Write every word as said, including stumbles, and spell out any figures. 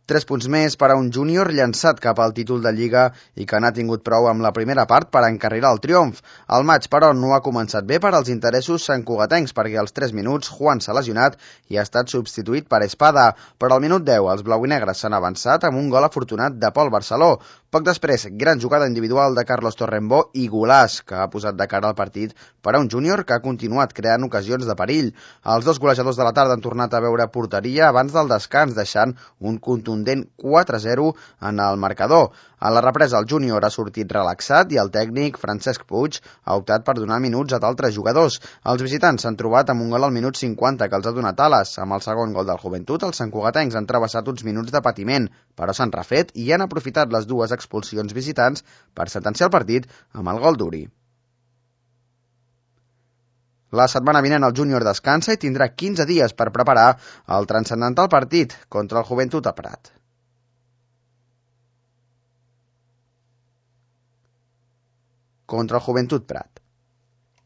Tres punts més per a un júnior llançat cap al títol de Lliga i que n'ha tingut prou amb la primera part per encarrilar el triomf. El maig, però, no ha començat bé per als interessos santcugatencs perquè als tres minuts Juan s'ha lesionat i ha estat substituït per Espada. Però al minut deu els blauinegres s'han avançat amb un gol afortunat de Pol Barceló. Poc després, gran jugada individual de Carlos Torrembó i golaç que ha posat de cara al partit per a un júnior que ha continuat creant ocasions de perill. Els dos golejadors de la tarda han tornat a veure porteria abans del descans, deixant un contundent quatre a zero en el marcador. A la represa el júnior ha sortit relaxat i el tècnic Francesc Puig ha optat per donar minuts a d'altres jugadors. Els visitants s'han trobat amb un gol al minut cinquanta que els ha donat ales. Amb el segon gol del Joventut, els santcugatencs han travessat uns minuts de patiment, però s'han refet i han aprofitat les dues expulsions visitants per sentenciar el partit amb el gol d'Uri. La setmana vinent el júnior descansa i tindrà quinze dies per preparar el transcendental partit contra el Joventut a Prat. Contra el Joventut Prat.